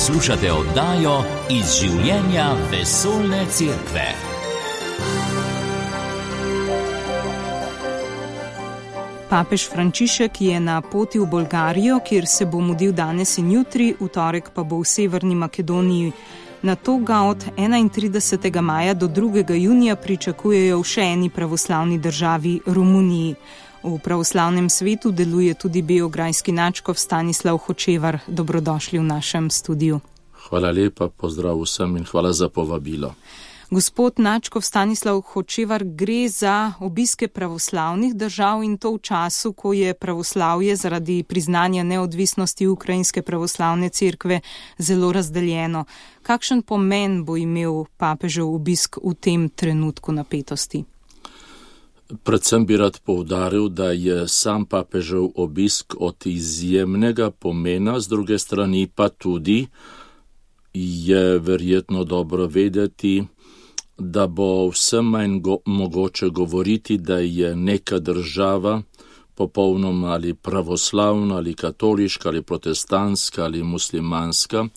Poslušate oddajo Iz življenja vesoljne cerkve. Papež Frančišek je na poti v Bolgarijo, kjer se bo mudil danes in jutri, v torek pa bo v Severni Makedoniji. Nato ga od 31. maja do 2. junija pričakujejo v še eni pravoslavni državi, Romuniji. V pravoslavnem svetu deluje tudi beograjski nadškof Stanislav Hočevar. Dobrodošli v našem studiu. Hvala lepa, pozdrav vsem in hvala za povabilo. Gospod nadškof Stanislav Hočevar, gre za obiske pravoslavnih držav in to v času, ko je pravoslavje zaradi priznanja neodvisnosti Ukrajinske pravoslavne cerkve zelo razdeljeno. Kakšen pomen bo imel papežev obisk v tem trenutku napetosti? Predvsem bi rad poudaril, da je sam papežev obisk od izjemnega pomena, z druge strani pa tudi je verjetno dobro vedeti, da bo vsem manj mogoče govoriti, da je neka država popolnoma ali pravoslavna, ali katoliška, ali protestantska, ali muslimanska,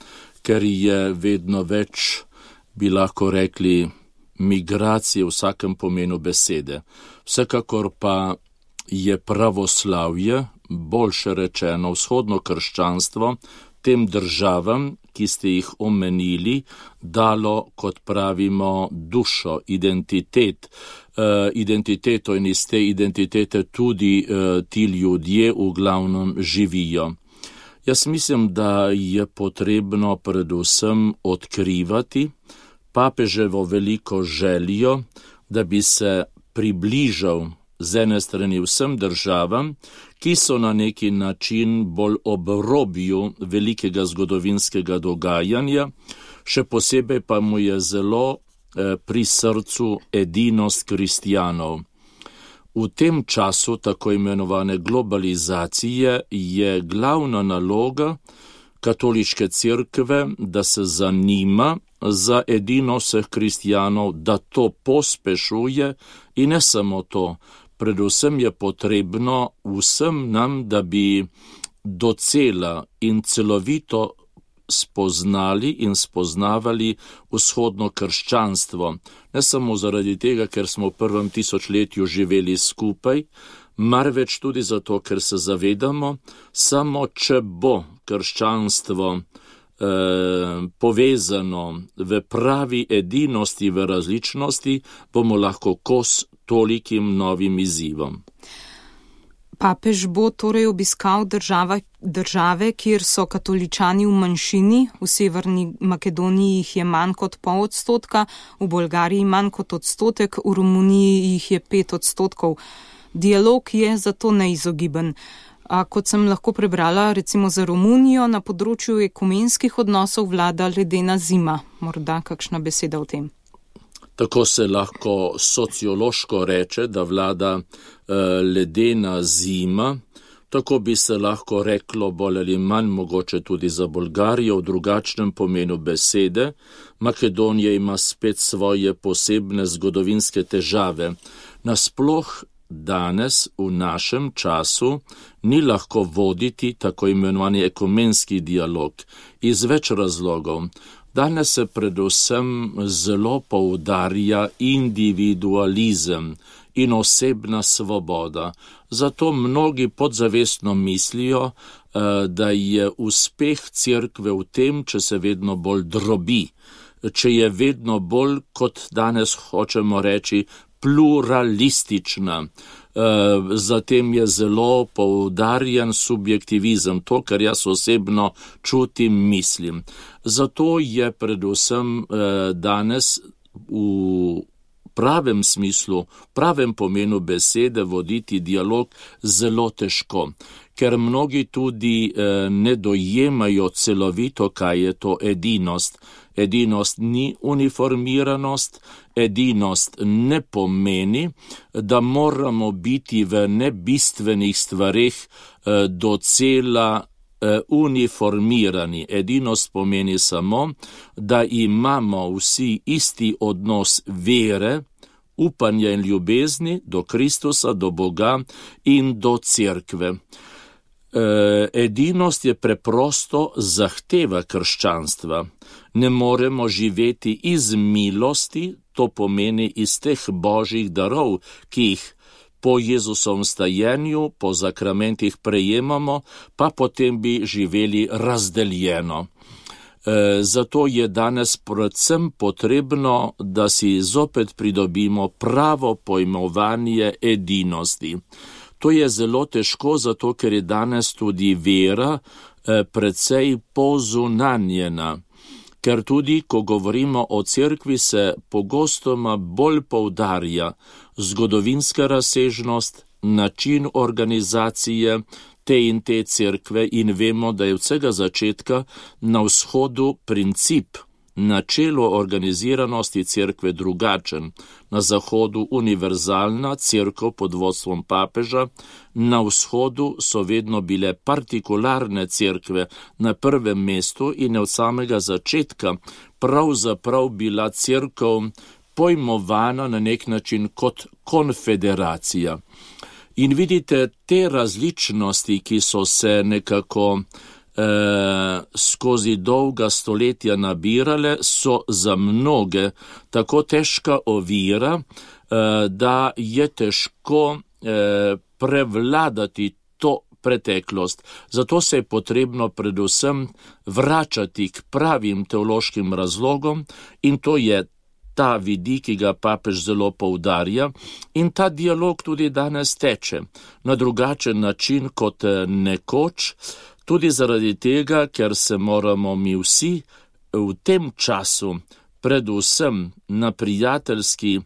ker je vedno več, bi lahko rekli, migracije v vsakem pomenu besede. Vsekakor pa je pravoslavje, boljše rečeno vzhodno krščanstvo, tem državam, ki ste jih omenili, dalo, kot pravimo, dušo, identiteto in iz te identitete tudi ti ljudje v glavnem živijo. Jaz mislim, da je potrebno predvsem odkrivati papeževo veliko željo, da bi se približal z ene strani vsem državam, ki so na neki način bolj ob robju velikega zgodovinskega dogajanja, še posebej pa mu je zelo pri srcu edinost kristjanov. V tem času tako imenovane globalizacije je glavna naloga katoliške cerkve, da se zanima za edinost vseh kristjanov, da to pospešuje in ne samo to. Predvsem je potrebno vsem nam, da bi docela in celovito spoznali in spoznavali vzhodno krščanstvo. Ne samo zaradi tega, ker smo v prvem tisočletju živeli skupaj, marveč tudi zato, ker se zavedamo, samo če bo krščanstvo povezano v pravi edinosti, v različnosti, bomo lahko kos tolikim novim izzivom. Papež bo torej obiskal države, kjer so katoličani v manjšini, v Severni Makedoniji jih je manj kot 0,5%, v Bolgariji manj kot 1%, v Romuniji jih je 5%. Dialog je zato neizogiben. A kot sem lahko prebrala, recimo za Romunijo, na področju ekumenskih odnosov vlada ledena zima. Morda kakšna beseda o tem? Tako se lahko sociološko reče, da vlada ledena zima. Tako bi se lahko reklo bolj ali manj mogoče tudi za Bolgarijo v drugačnem pomenu besede. Makedonija ima spet svoje posebne zgodovinske težave. Nasploh danes v našem času ni lahko voditi tako imenovani ekumenski dialog iz več razlogov. Danes se predvsem zelo poudarja individualizem in osebna svoboda. Zato mnogi podzavestno mislijo, da je uspeh cerkve v tem, če se vedno bolj drobi, če je vedno bolj, kot danes hočemo reči, pluralistična. Zatem je zelo poudarjen subjektivizem, to, kar jaz osebno čutim, mislim. Zato je predvsem danes v pravem smislu, pravem pomenu besede voditi dialog zelo težko, ker mnogi tudi ne dojemajo celovito, kaj je to edinost. Edinost ni uniformiranost, edinost ne pomeni, da moramo biti v nebistvenih stvareh docela uniformirani. Edinost pomeni samo, da imamo vsi isti odnos vere, upanja in ljubezni do Kristusa, do Boga in do cerkve. Edinost je preprosto zahteva krščanstva. Ne moremo živeti iz milosti, to pomeni iz teh božjih darov, ki jih po Jezusovem stajenju, po zakramentih prejemamo, pa potem bi živeli razdeljeno. Zato je danes predvsem potrebno, da si zopet pridobimo pravo pojmovanje edinosti. To je zelo težko, zato ker je danes tudi vera precej pozunanjena. Ker tudi, ko govorimo o cerkvi, se pogostoma bolj poudarja zgodovinska razsežnost, način organizacije te in te cerkve in vemo, da je od vsega začetka na vzhodu princip, načelo organiziranosti cerkve drugačen. Na zahodu univerzalna cerkev pod vodstvom papeža, na vzhodu so vedno bile partikularne cerkve na prvem mestu in je od samega začetka pravzaprav bila cerkev pojmovana na nek način kot konfederacija. In vidite, te različnosti, ki so se nekako skozi dolga stoletja nabirale, so za mnoge tako težka ovira, da je težko prevladati to preteklost. Zato se je potrebno predvsem vračati k pravim teološkim razlogom in to je ta vidik, ki ga papež zelo poudarja, in ta dialog tudi danes teče na drugačen način kot nekoč, tudi zaradi tega, ker se moramo mi vsi v tem času predvsem na prijateljski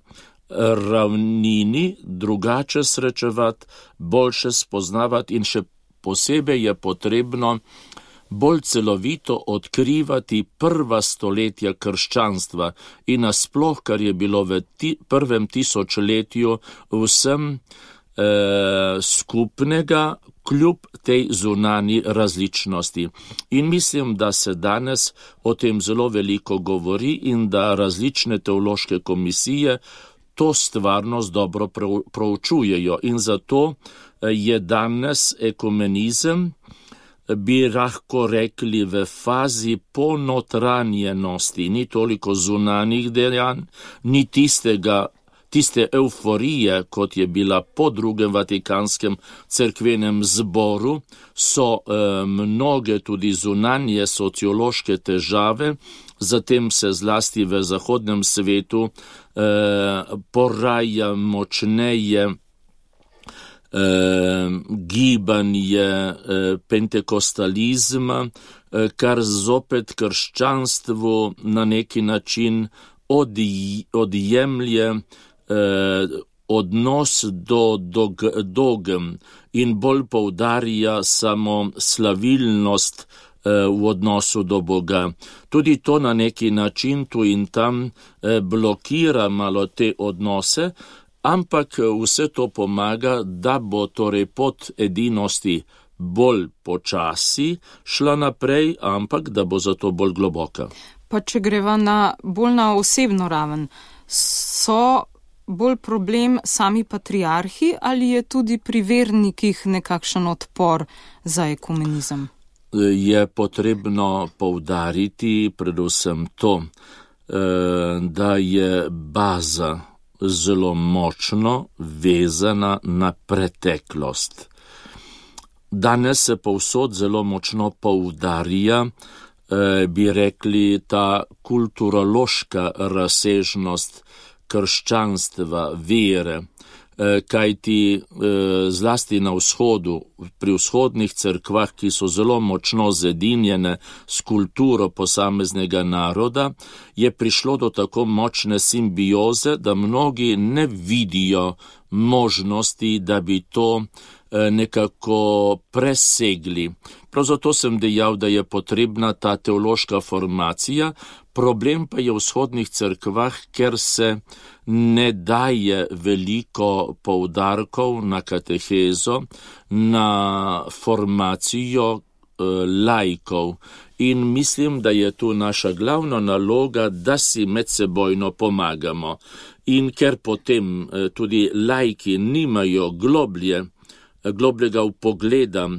ravnini drugače srečevati, boljše spoznavati in še posebej je potrebno bolj celovito odkrivati prva stoletja krščanstva in nasploh, kar je bilo v prvem tisočletju vsem skupnega, kljub tej zunanji različnosti. In mislim, da se danes o tem zelo veliko govori in da različne teološke komisije to stvarnost dobro proučujejo. In zato je danes ekumenizem, bi lahko rekli, v fazi ponotranjenosti, ni toliko zunanjih dejanj, ni tiste euforije, kot je bila po drugem Vatikanskem cerkvenem zboru, so mnoge tudi zunanje sociološke težave, zatem se zlasti v zahodnem svetu poraja močneje gibanje pentekostalizma, kar zopet krščanstvu na neki način odjemlje odnos do dogem in bolj poudarja samo slavilnost v odnosu do Boga. Tudi to na neki način tu in tam blokira malo te odnose, ampak vse to pomaga, da bo torej pot edinosti bolj počasi šla naprej, ampak da bo zato bolj globoka. Pa če greva bolj na osebno raven, so bolj problem sami patriarhi ali je tudi pri vernikih nekakšen odpor za ekumenizem? Je potrebno poudariti predvsem to, da je baza zelo močno vezana na preteklost. Danes se povsod zelo močno poudarja, bi rekli, ta kulturološka razsežnost krščanstva, vere, kajti zlasti na vzhodu, pri vzhodnih cerkvah, ki so zelo močno zedinjene s kulturo posameznega naroda, je prišlo do tako močne simbioze, da mnogi ne vidijo možnosti, da bi to nekako presegli. Prav zato sem dejal, da je potrebna ta teološka formacija, problem pa je v vzhodnih cerkvah, ker se ne daje veliko poudarkov na katehezo, na formacijo laikov. In mislim, da je tu naša glavna naloga, da si medsebojno pomagamo. In ker potem tudi laiki nimajo globljega vpogleda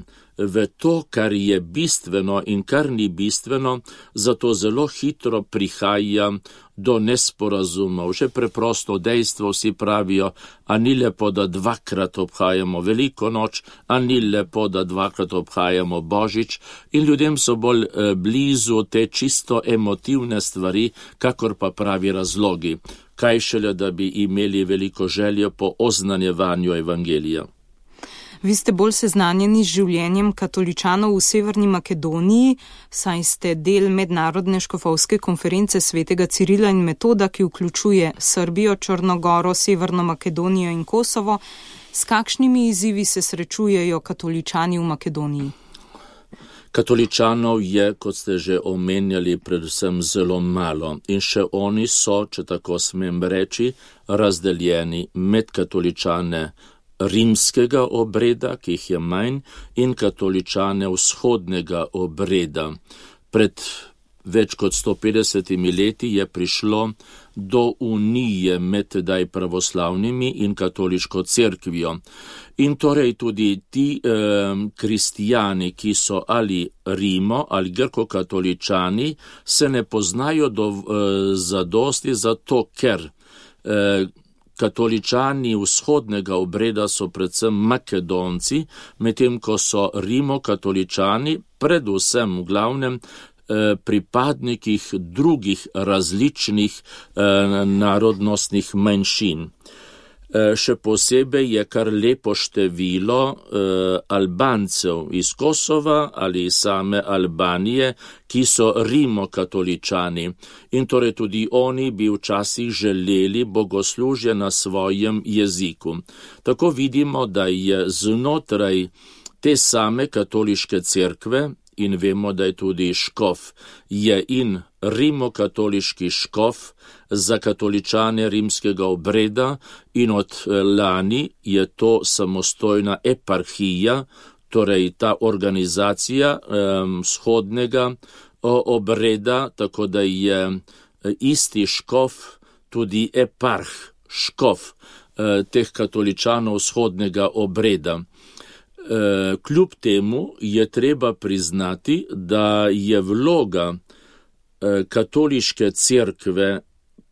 v to, kar je bistveno in kar ni bistveno, zato zelo hitro prihaja do nesporazumov. Že preprosto dejstvo vsi pravijo, a ni lepo, da dvakrat obhajamo Veliko noč, a ni lepo, da dvakrat obhajamo Božič, in ljudem so bolj blizu te čisto emotivne stvari, kakor pa pravi razlogi. Kaj šele, da bi imeli veliko željo po oznanjevanju evangelija. Vi ste bolj seznanjeni z življenjem katoličanov v Severni Makedoniji, saj ste del mednarodne škofovske konference svetega Cirila in Metoda, ki vključuje Srbijo, Črnogoro, Severno Makedonijo in Kosovo. S kakšnimi izzivi se srečujejo katoličani v Makedoniji? Katoličanov je, kot ste že omenjali, predvsem zelo malo in še oni so, če tako smem reči, razdeljeni med katoličane rimskega obreda, ki jih je manj, in katoličane vzhodnega obreda. Pred več kot 150 leti je prišlo do unije med tedaj pravoslavnimi in katoliško cerkvijo. In torej tudi ti kristijani, ki so ali Rimo ali grko-katoličani, se ne poznajo zadosti zato, ker katoličani vzhodnega obreda so predvsem Makedonci, medtem ko so rimokatoličani predvsem v glavnem pripadnikih drugih različnih narodnostnih manjšin. Še posebej je kar lepo število Albancev iz Kosova ali same Albanije, ki so rimokatoličani, in torej tudi oni bi včasih želeli bogoslužje na svojem jeziku. Tako vidimo, da je znotraj te same katoliške cerkve, in vemo, da je tudi škof, je in rimokatoliški škof za katoličane rimskega obreda, in od lani je to samostojna eparhija, torej ta organizacija vzhodnega obreda, tako da je isti škof tudi eparh, škof teh katoličanov vzhodnega obreda. Kljub temu je treba priznati, da je vloga katoliške cerkve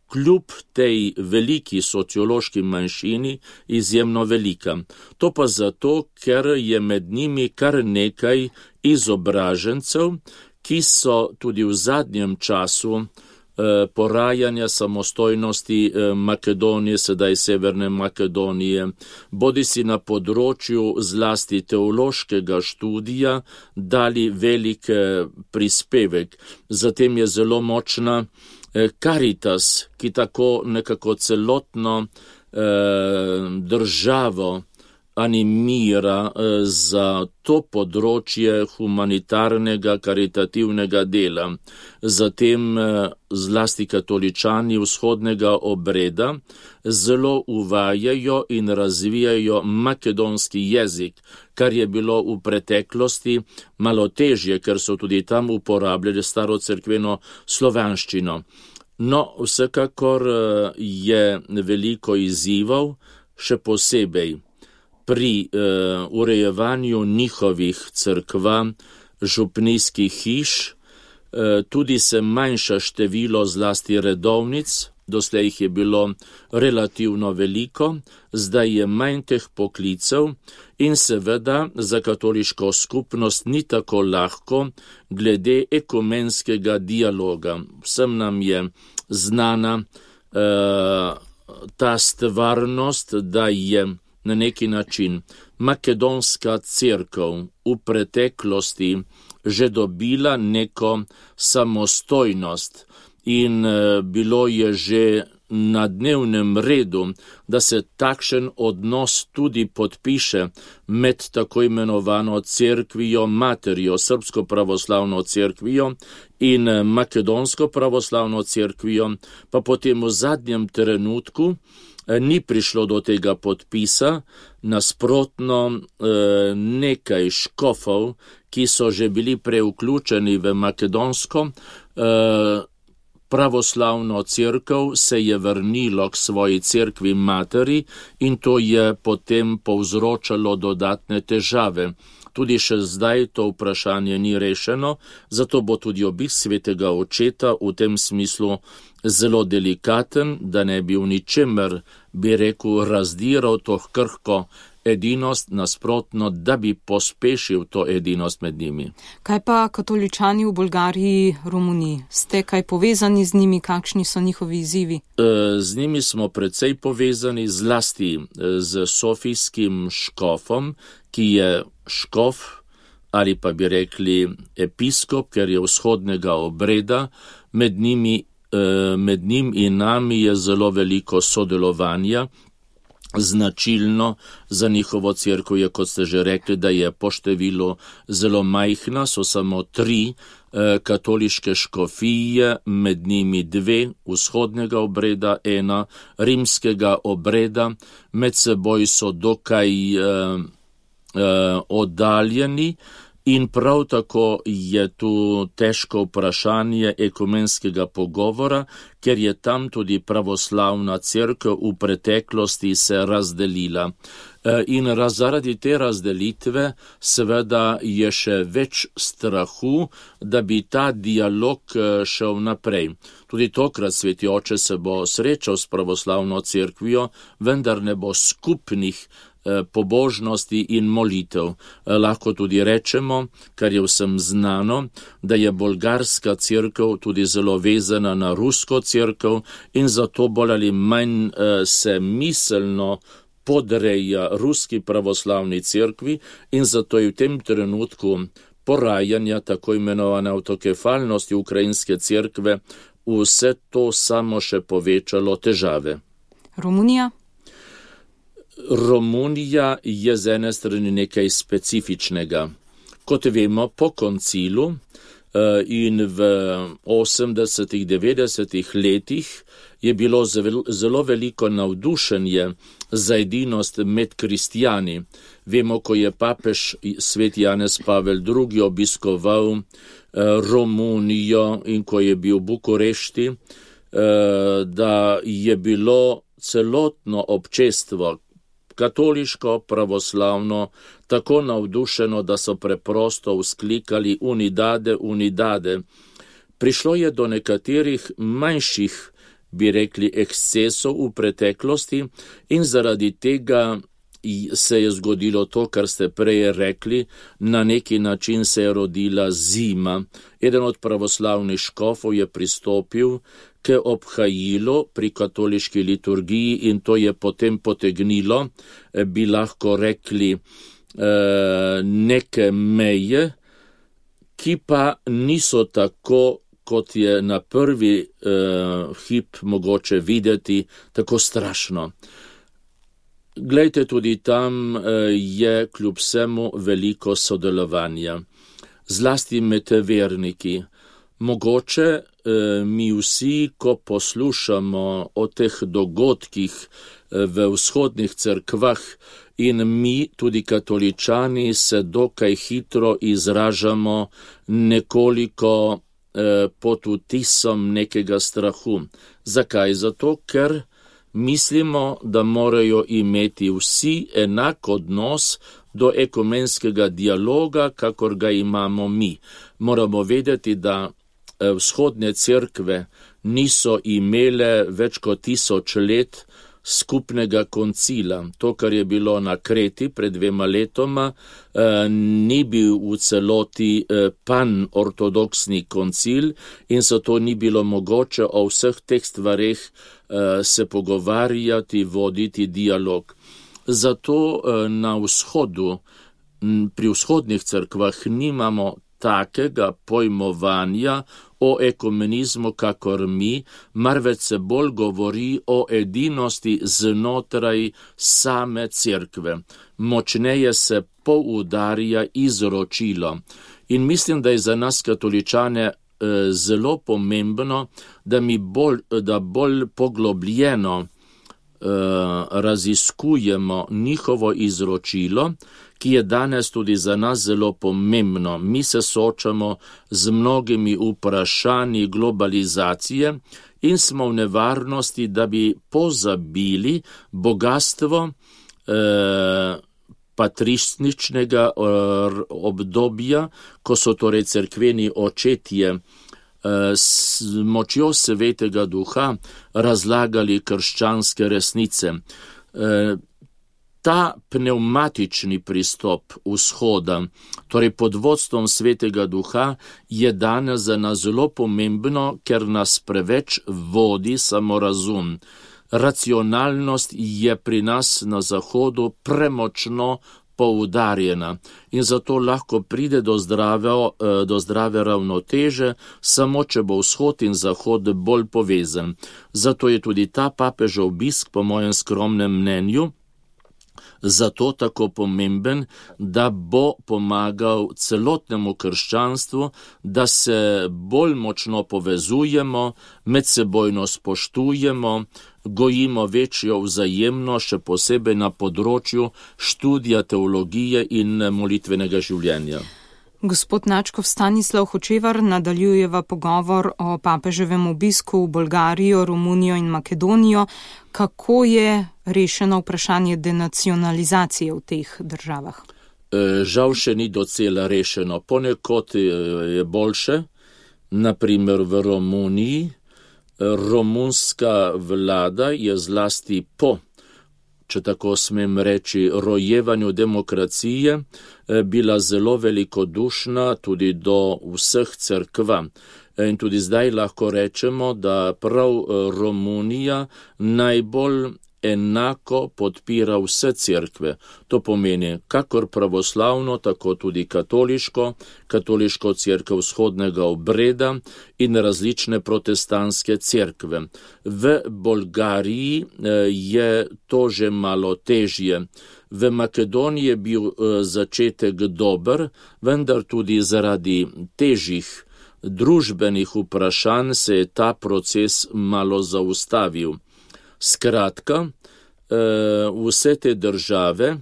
kljub tej veliki sociološki manjšini izjemno velika. To pa zato, ker je med njimi kar nekaj izobražencev, ki so tudi v zadnjem času porajanja samostojnosti Makedonije, sedaj Severne Makedonije, bodisi na področju zlasti teološkega študija, dali velik prispevek. Zatem je zelo močna Caritas, ki tako nekako celotno državo animira za to področje humanitarnega, karitativnega dela. Zatem zlasti katoličani vzhodnega obreda zelo uvajajo in razvijajo makedonski jezik, kar je bilo v preteklosti malo težje, ker so tudi tam uporabljali starocerkveno slovanščino. No, vsekakor je veliko izzivov, še posebej pri urejevanju njihovih cerkva, župnijskih hiš, tudi se manjša število zlasti redovnic, doslej jih je bilo relativno veliko, zdaj je manj teh poklicev in seveda za katoliško skupnost ni tako lahko glede ekumenskega dialoga. Vsem nam je znana ta stvarnost, da je na neki način makedonska cerkev v preteklosti že dobila neko samostojnost in bilo je že na dnevnem redu, da se takšen odnos tudi podpiše med tako imenovano cerkvijo materjo, srpsko pravoslavno cerkvijo in makedonsko pravoslavno cerkvijo, pa potem v zadnjem trenutku ni prišlo do tega podpisa, nasprotno nekaj škofov, ki so že bili preuključeni v makedonsko pravoslavno cerkev, se je vrnilo k svoji cerkvi materi in to je potem povzročalo dodatne težave. Tudi še zdaj to vprašanje ni rešeno, zato bo tudi obisk svetega očeta v tem smislu zelo delikaten, da ne bi v ničemer, bi rekel, razdiral to krhko edinost, nasprotno, da bi pospešil to edinost med njimi. Kaj pa katoličani v Bolgariji, Romuniji? Ste kaj povezani z njimi? Kakšni so njihovi izzivi? Z njimi smo precej povezani, zlasti z sofijskim škofom, ki je škof ali pa bi rekli episkop, ker je vzhodnega obreda, med njim in nami je zelo veliko sodelovanja. Značilno za njihovo cerkev je, kot ste že rekli, da je po številu zelo majhna, so samo 3 katoliške škofije, med njimi 2 vzhodnega obreda, 1 rimskega obreda, med seboj so dokaj oddaljeni in prav tako je tu težko vprašanje ekumenskega pogovora, ker je tam tudi pravoslavna cerkev v preteklosti se razdelila. In zaradi te razdelitve seveda je še več strahu, da bi ta dialog šel naprej. Tudi tokrat sveti oče se bo srečal s pravoslavno cerkvijo, vendar ne bo skupnih pobožnosti in molitev. Lahko tudi rečemo, kar je vsem znano, da je bolgarska cerkev tudi zelo vezana na rusko cerkev in zato bolj ali manj se miselno podreja ruski pravoslavni cerkvi in zato je v tem trenutku porajanja tako imenovane avtokefalnosti ukrajinske cerkve vse to samo še povečalo težave. Romunija je z ene strani nekaj specifičnega. Kot vemo, po koncilu in v 80-ih, 90-ih letih je bilo zelo veliko navdušenje za edinost med kristjani. Vemo, ko je papež svet Janez Pavel II. Obiskoval Romunijo in ko je bil v Bukurešti, da je bilo celotno občestvo katoliško, pravoslavno, tako navdušeno, da so preprosto vzklikali unidade, unidade. Prišlo je do nekaterih manjših, bi rekli, ekscesov v preteklosti in zaradi tega se je zgodilo to, kar ste prej rekli, na neki način se je rodila zima. Eden od pravoslavnih škofov je pristopil k obhajilu pri katoliški liturgiji in to je potem potegnilo, bi lahko rekli, neke meje, ki pa niso tako, kot je na prvi hip mogoče videti, tako strašno. Glejte, tudi tam je kljub vsemu veliko sodelovanja, zlasti med verniki. Mogoče mi vsi, ko poslušamo o teh dogodkih v vzhodnih cerkvah in mi, tudi katoličani, se dokaj hitro izražamo nekoliko pod vtisom nekega strahu. Zakaj? Zato, ker mislimo, da morajo imeti vsi enak odnos do ekumenskega dialoga, kakor ga imamo mi. Moramo vedeti, da vzhodne cerkve niso imele več kot 1000 let skupnega koncila. To, kar je bilo na Kreti pred 2 letoma, ni bil v celoti pan-ortodoksni koncil in zato ni bilo mogoče o vseh teh stvareh se pogovarjati, voditi dialog. Zato na vzhodu, pri vzhodnih cerkvah nimamo takega pojmovanja o ekumenizmu, kakor mi, marveč se bolj govori o edinosti znotraj same cerkve. Močneje se poudarja izročilo. In mislim, da je za nas katoličane zelo pomembno, da bolj poglobljeno raziskujemo njihovo izročilo, ki je danes tudi za nas zelo pomembno. Mi se soočamo z mnogimi vprašanji globalizacije in smo v nevarnosti, da bi pozabili bogatstvo patrističnega obdobja, ko so torej cerkveni očetje s močjo Svetega Duha razlagali krščanske resnice. Ta pnevmatični pristop vzhoda, torej pod vodstvom Svetega Duha, je danes za nas zelo pomembno, ker nas preveč vodi samorazum. Racionalnost je pri nas na Zahodu premočno poudarjena in zato lahko pride do zdrave ravnoteže, samo če bo vzhod in zahod bolj povezan. Zato je tudi ta papežev obisk, po mojem skromnem mnenju, zato tako pomemben, da bo pomagal celotnemu krščanstvu, da se bolj močno povezujemo, medsebojno spoštujemo, gojimo večjo vzajemno, še posebej na področju študija teologije in molitvenega življenja. Gospod Načkov Stanislav Hočevar, nadaljujeva pogovor o papeževem obisku v Bolgarijo, Romunijo in Makedonijo. Kako je rešeno vprašanje denacionalizacije v teh državah? Žal še ni docela rešeno. Ponekod je boljše, naprimer v Romuniji. Romunska vlada je zlasti po, če tako smem reči, rojevanju demokracije, bila zelo velikodušna tudi do vseh cerkva. In tudi zdaj lahko rečemo, da prav Romunija najbolj enako podpira vse cerkve. To pomeni kakor pravoslavno, tako tudi katoliško cerkev vzhodnega obreda in različne protestantske cerkve. V Bolgariji je to že malo težje. V Makedoniji je bil začetek dober, vendar tudi zaradi težjih družbenih vprašanj se je ta proces malo zaustavil. Skratka, vse te države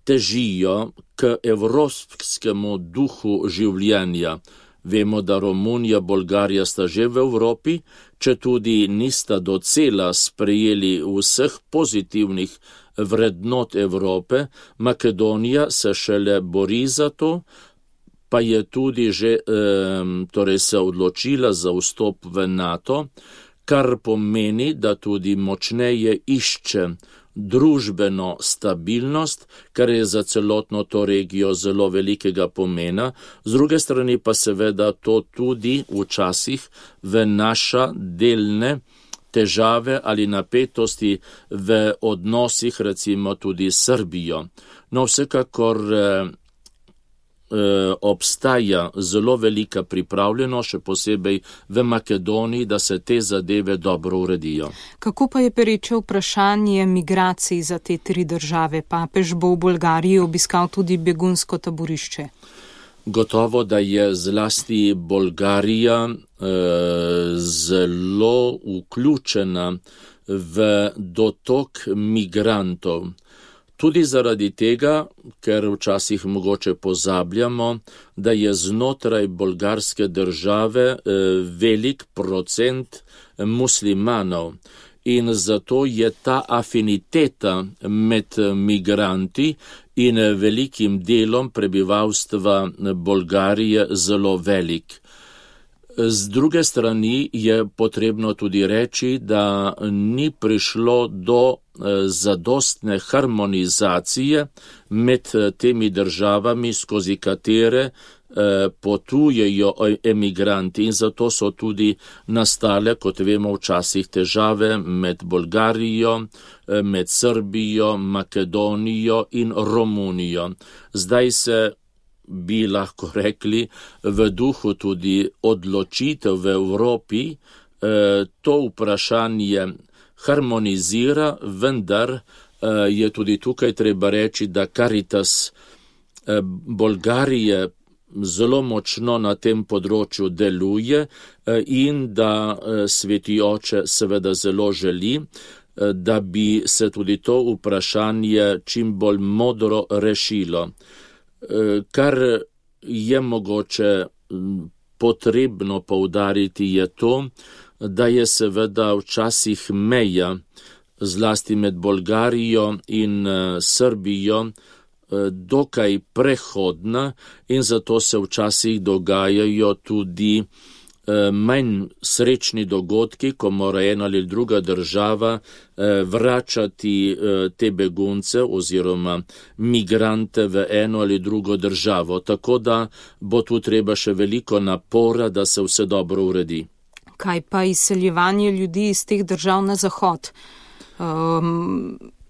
težijo k evropskemu duhu življenja. Vemo, da Romunija, Bolgarija sta že v Evropi, če tudi nista docela sprejeli vseh pozitivnih vrednot Evrope, Makedonija se šele bori za to, pa je tudi že torej se odločila za vstop v NATO, kar pomeni, da tudi močneje išče družbeno stabilnost, kar je za celotno to regijo zelo velikega pomena. Z druge strani pa seveda to tudi včasih vnaša delne težave ali napetosti v odnosih, recimo tudi s Srbijo. No, vsekakor obstaja zelo velika pripravljenost, še posebej v Makedoniji, da se te zadeve dobro uredijo. Kako pa je pereče vprašanje migracij za te tri države? Papež bo v Bolgariji obiskal tudi begunsko taborišče. Gotovo, da je zlasti Bolgarija zelo vključena v dotok migrantov. Tudi zaradi tega, ker včasih mogoče pozabljamo, da je znotraj bolgarske države velik procent muslimanov in zato je ta afiniteta med migranti in velikim delom prebivalstva Bolgarije zelo velik. Z druge strani je potrebno tudi reči, da ni prišlo do zadostne harmonizacije med temi državami, skozi katere potujejo emigranti in zato so tudi nastale, kot vemo, včasih težave med Bolgarijo, med Srbijo, Makedonijo in Romunijo. Zdaj se bi lahko rekli v duhu tudi odločitev v Evropi to vprašanje harmonizira, vendar je tudi tukaj treba reči, da Caritas Bolgarije zelo močno na tem področju deluje in da Sveti Oče seveda zelo želi, da bi se tudi to vprašanje čim bolj modro rešilo. Kar je mogoče potrebno poudariti je to, da je seveda včasih meja, zlasti med Bolgarijo in Srbijo, dokaj prehodna in zato se včasih dogajajo tudi manj srečni dogodki, ko mora ena ali druga država vračati te begunce oziroma migrante v eno ali drugo državo. Tako da bo tu treba še veliko napora, da se vse dobro uredi. Kaj pa izseljevanje ljudi iz teh držav na zahod?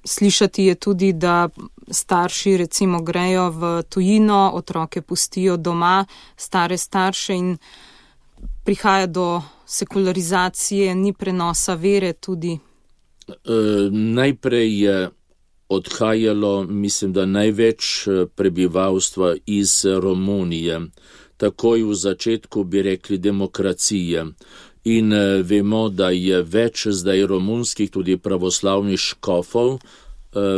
Slišati je tudi, da starši recimo grejo v tujino, otroke pustijo doma, stare starše in prihaja do sekularizacije, ni prenosa vere tudi. Najprej je odhajalo, mislim, da največ prebivalstva iz Romunije. Takoj v začetku bi rekli demokracije. In vemo, da je več zdaj romunskih tudi pravoslavnih škofov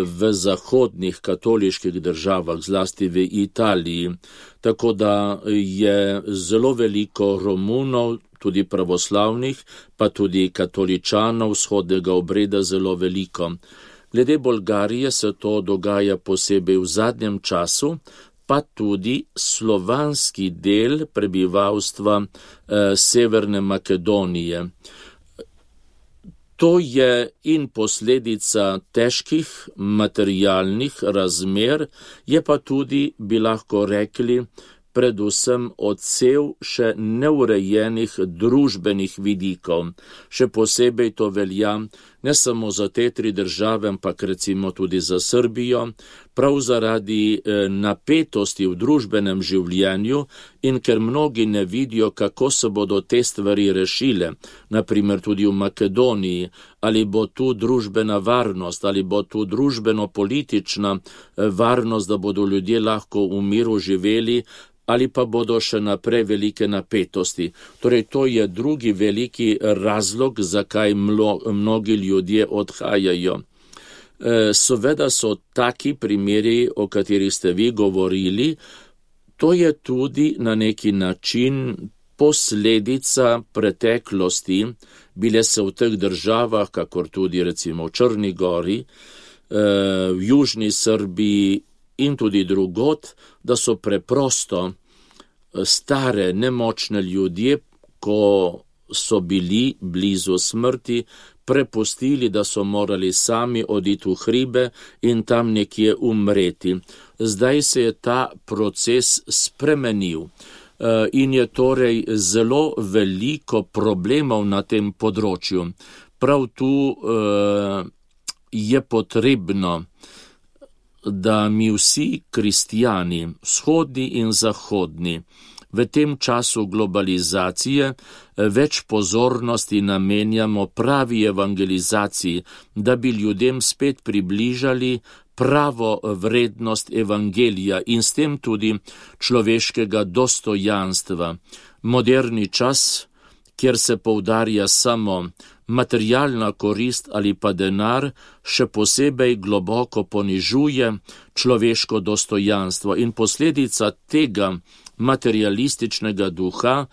v zahodnih katoliških državah, zlasti v Italiji. Tako da je zelo veliko Romunov, tudi pravoslavnih, pa tudi katoličanov vzhodnega obreda zelo veliko. Glede Bolgarije se to dogaja posebej v zadnjem času, pa tudi slovanski del prebivalstva Severne Makedonije. To je in posledica težkih materialnih razmer, je pa tudi, bi lahko rekli, predvsem odsev še neurejenih družbenih vidikov. Še posebej to velja ne samo za te tri države, ampak recimo tudi za Srbijo, prav zaradi napetosti v družbenem življenju in ker mnogi ne vidijo, kako se bodo te stvari rešile, naprimer tudi v Makedoniji, ali bo tu družbena varnost, ali bo tu družbeno-politična varnost, da bodo ljudje lahko v miru živeli, ali pa bodo še naprej velike napetosti. Torej, to je drugi veliki razlog, zakaj mnogi ljudje odhajajo. Seveda so taki primeri, o katerih ste vi govorili, to je tudi na neki način posledica preteklosti, bile se v teh državah, kakor tudi recimo v Črni Gori, v Južni Srbiji in tudi drugot, da so preprosto stare, nemočne ljudje, ko so bili blizu smrti, prepustili, da so morali sami oditi v hribe in tam nekje umreti. Zdaj se je ta proces spremenil in je torej zelo veliko problemov na tem področju. Prav tu je potrebno, da mi vsi kristjani, vzhodni in zahodni, v tem času globalizacije več pozornosti namenjamo pravi evangelizaciji, da bi ljudem spet približali pravo vrednost evangelija in s tem tudi človeškega dostojanstva. Moderni čas, kjer se poudarja samo materialna korist ali pa denar, še posebej globoko ponižuje človeško dostojanstvo in posledica tega materialističnega duha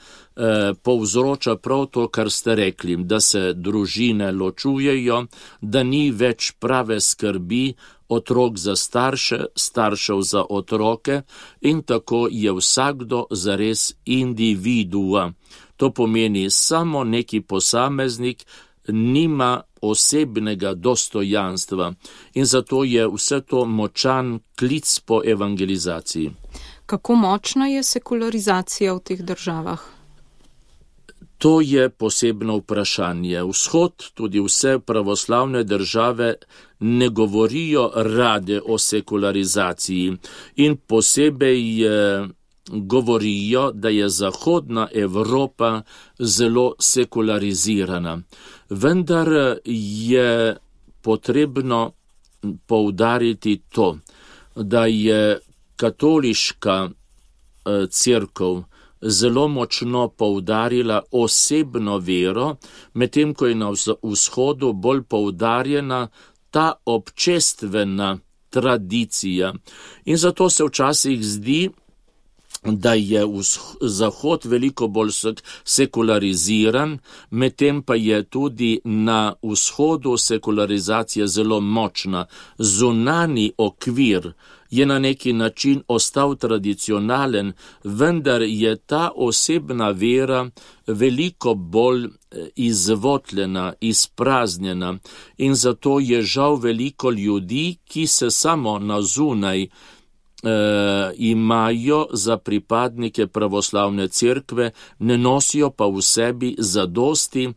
povzroča prav to, kar ste rekli, da se družine ločujejo, da ni več prave skrbi otrok za starše, staršev za otroke in tako je vsakdo zares individua. To pomeni, samo neki posameznik nima osebnega dostojanstva in zato je vse to močan klic po evangelizaciji. Kako močna je sekularizacija v teh državah? To je posebno vprašanje. Vzhod, tudi vse pravoslavne države ne govorijo rade o sekularizaciji in posebej govorijo, da je zahodna Evropa zelo sekularizirana. Vendar je potrebno poudariti to, da je katoliška cerkev zelo močno poudarila osebno vero, medtem ko je na vzhodu bolj poudarjena ta občestvena tradicija. In zato se včasih zdi, da je Zahod veliko bolj sekulariziran, medtem pa je tudi na vzhodu sekularizacija zelo močna. Zunani okvir je na neki način ostal tradicionalen, vendar je ta osebna vera veliko bolj izvotljena, izpraznjena in zato je žal veliko ljudi, ki se samo na zunaj imajo za pripadnike pravoslavne cerkve, ne nosijo pa v sebi zadosti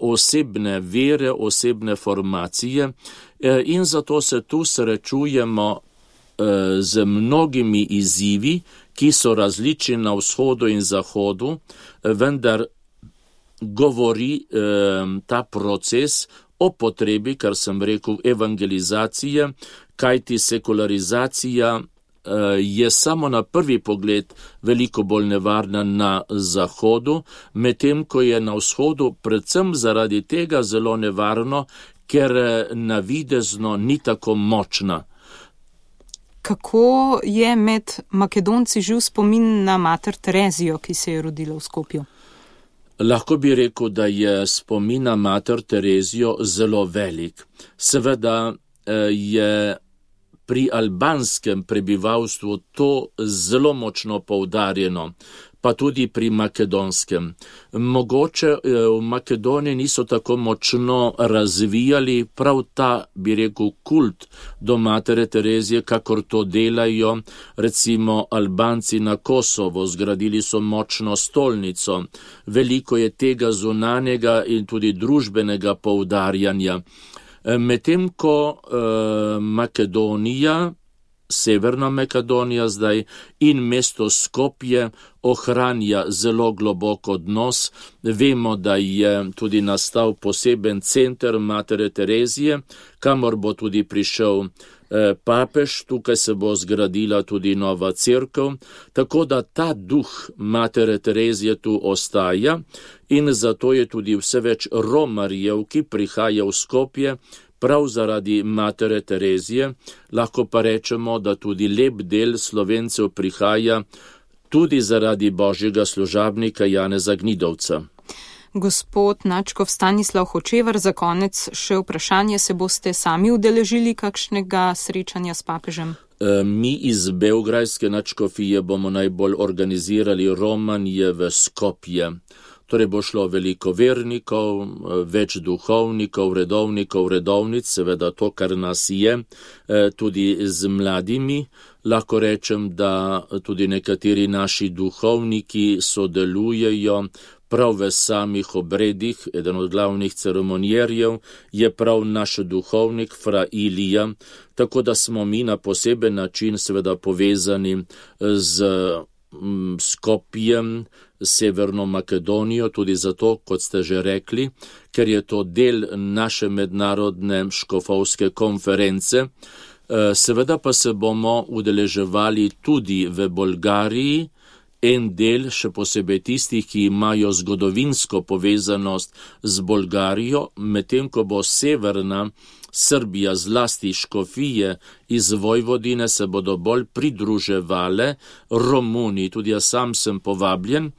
osebne vere, osebne formacije in zato se tu srečujemo z mnogimi izzivi, ki so različni na vzhodu in zahodu, vendar govori ta proces o potrebi, kar sem rekel, evangelizacije, kajti sekularizacija je samo na prvi pogled veliko bolj nevarna na zahodu, medtem ko je na vzhodu predvsem zaradi tega zelo nevarno, ker navidezno ni tako močna. Kako je med Makedonci živ spomin na mater Terezijo, ki se je rodila v Skopju? Lahko bi rekel, da je spomin na mater Terezijo zelo velik. Seveda je pri albanskem prebivalstvu to zelo močno poudarjeno, pa tudi pri makedonskem. Mogoče v Makedoniji niso tako močno razvijali prav ta, bi rekel, kult do matere Terezije, kakor to delajo recimo Albanci na Kosovo. Zgradili so močno stolnico. Veliko je tega zunanjega in tudi družbenega poudarjanja. Medtem ko Makedonija, Severna Makedonija zdaj in mesto Skopje ohranja zelo globok odnos. Vemo, da je tudi nastal poseben center matere Terezije, kamor bo tudi prišel papež, tukaj se bo zgradila tudi nova cerkev, tako da ta duh matere Terezije tu ostaja in zato je tudi vse več romarjev, ki prihaja v Skopje, prav zaradi matere Terezije. Lahko pa rečemo, da tudi lep del Slovencev prihaja tudi zaradi božjega služabnika Janeza Gnidovca. Gospod Načkov Stanislav Hočevar, za konec še vprašanje, se boste sami udeležili kakšnega srečanja s papežem? Mi iz Beograjske nadškofije bomo najbolj organizirali romanje v Skopje. Torej bo šlo veliko vernikov, več duhovnikov, redovnikov, redovnic, seveda to, kar nas je, tudi z mladimi. Lahko rečem, da tudi nekateri naši duhovniki sodelujejo prav v samih obredih. Eden od glavnih ceremonierjev je prav naš duhovnik, fra Ilija, tako da smo mi na poseben način seveda povezani z Skopjem, Severno Makedonijo, tudi zato, kot ste že rekli, ker je to del naše mednarodne škofovske konference. Seveda pa se bomo udeleževali tudi v Bolgariji, en del, še posebej tistih, ki imajo zgodovinsko povezanost z Bolgarijo, medtem ko bo severna Srbija, zlasti škofije iz Vojvodine, se bodo bolj pridruževale Romuniji. Tudi jaz sam sem povabljen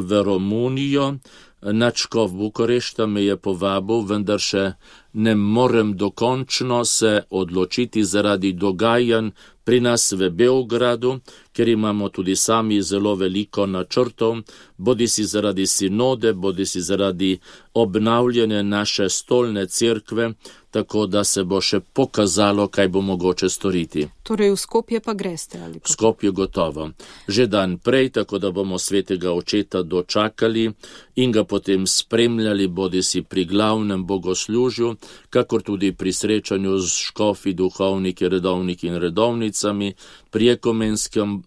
v Romunijo. Nadškof Bukarešta me je povabil, vendar še ne morem dokončno se odločiti zaradi dogajanj pri nas v Beogradu, ker imamo tudi sami zelo veliko načrtov, bodisi zaradi sinode, bodisi zaradi obnavljanja naše stolne cerkve, tako da se bo še pokazalo, kaj bo mogoče storiti. Torej v Skopje pa greste ali kako? V Skopje gotovo. Že dan prej, tako da bomo svetega očeta dočakali in ga potem spremljali, bodisi pri glavnem bogoslužju, kakor tudi pri srečanju z škofi, duhovniki, redovniki in redovnicami, pri ekumenskem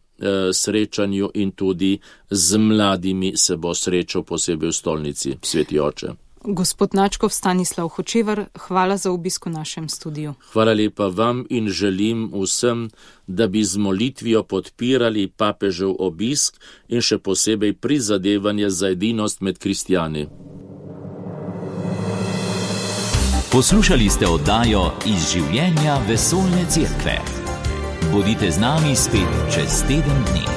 srečanju in tudi z mladimi se bo srečal posebej v stolnici, sveti oče. Gospod Načkov Stanislav Hočevar, hvala za obisk v našem studiu. Hvala lepa vam in želim vsem, da bi z molitvijo podpirali papežev obisk in še posebej prizadevanje za edinost med kristjani. Poslušali ste oddajo Iz življenja vesoljne cerkve. Bodite z nami spet čez teden dni.